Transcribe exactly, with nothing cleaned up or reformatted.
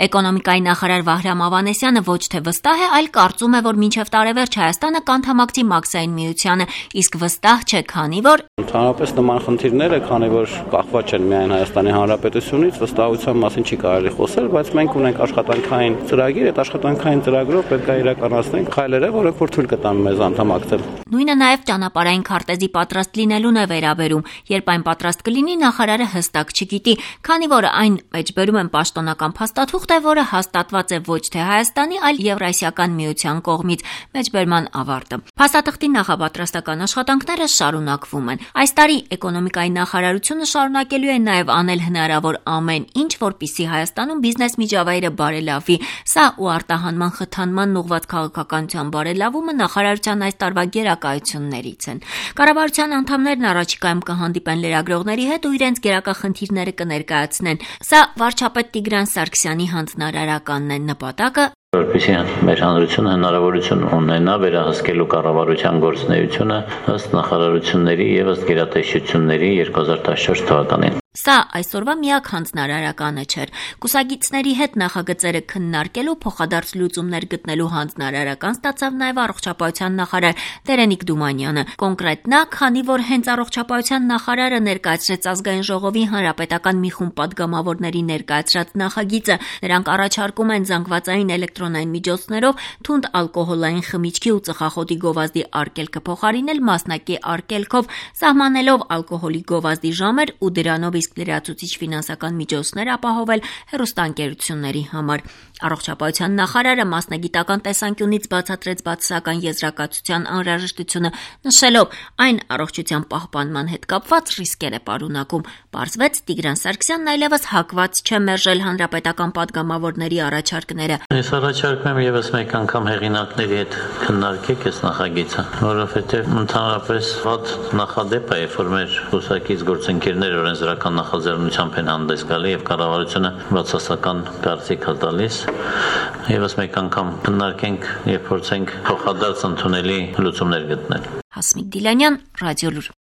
Էկոնոմիկայի նախարար Վահրամ Ավանեսյանը ոչ թե վստահ է, այլ կարծում է, որ մինչև տարեվերջ Հայաստանը կանդամակցի Մաքսային միությանը, իսկ վստահ չէ, քանի որ Ընդհանրապես նման խնդիրները, քանի որ կախված չեն միայն Հայաստանի Հանրապետությունից, վստահության մասին չի կարելի խոսել, բայց մենք ունենք աշխատանքային ծրագիր, այդ աշխատանքային ծրագրով պետք է իրականացնենք քայլերը, որոնք որ թույլ կտան մեզ անդամակցել։ Նույնը նաև ճանապարհային քարտեզի պատրաստ լինելուն է վերաբերում, երբ այն պատրաստ կլինի, նախարարը հստակ չգիտի, քանի որ այն մեջբերում են պաշտոնական փաստաթուղթ է, որը հաստատված է ոչ թե Հայաստանի, այլ Եվրասիական միության կողմից, մեջբերման ավարտը։ Փաստաթղթի նախապատրաստական աշխատանքները շարունակվում են։ Այս տարի էկոնոմիկայի նախարարությունը շարունակելու է նաև անել հնարավոր ամեն ինչ, որպեսզի Հայաստանում բիզնես միջավայրը բարելավի։ Սա ու արտահանման խթանման ուղղված քաղաքականության բարելավումը նախարարության այս տարվա գերակայություններից են։ Կառավարության անդամներն առաջիկայում կհանդիպեն լրագրողների հետ ու իրենց գերակա խնդիրները կներկայացնեն։ Սա վարչապետ Տիգրան Սարգսյանի հանձնարարականն է, նպատակը որպեսզի մեր հանրությունը հնարավորություն ունենա վերահսկելու կառավարության գործունեությունը ըստ նախարարությունների եւ ըստ գերատեսչությունների երկու հազար տասնչորս թվականին։ Սա այսօրվա միակ հանձնարարականը չէր։ Կուսակիցների հետ նախագծերը քննարկելու փոխադարձ լուծումներ գտնելու հանձնարարական ստացավ նաև առողջապահության նախարար Տերենիկ Դումանյանը։ Կոնկրետ նա, քանի որ հենց առողջապահության նախարարը ներկայացրեց ազգային ժողովի հանրապետական մի խումբ падգամավորների ներկայացրած նախագիծը, նրանք առաջարկում են զանգվածային էլեկտրոնային միջոցներով թունդ ալկոհոլային խմիչքի ու ծխախոտի գովազդի արգելքը փոխարինել մասնակի արգելքով, սահմանելով ալկոհոլի գովազդի ժամեր ու դրանով իսկ լրացուցիչ ֆինանսական միջոցներ ապահովել հեռուստաընկերությունների համար։ Առողջապահության նախարարը մասնագիտական տեսանկյունից բացատրեց բացասական եզրակացության անհրաժեշտությունը, նշելով այն առողջության պահպանման հետ կապված ռիսկեր է պարունակում։ Պարզվեց Տիգրան Սարգսյանն այլևս հակված չէ մերժել հանրապետական падգամավորների առաջարկները։ Ես առաջարկում եմ եւս մեկ անգամ հեղինակների հետ քննարկեք այս նախագիծը, որովհետեւ ընդհանրապես վատ նախադեպ է, երբ որ մեր կուսակից գործընկերներ օրենսդրական նախաձեռնությամբ են հանդես գալի եւ կառավարությունը բացասական կարծիք է տալիս։ Եվս մեկ անգամ քննարկենք եւ փորձենք փոխադարձ ընդունելի լուծումներ գտնել։ Հասմիկ Դիլանյան, Ռադիոլուր։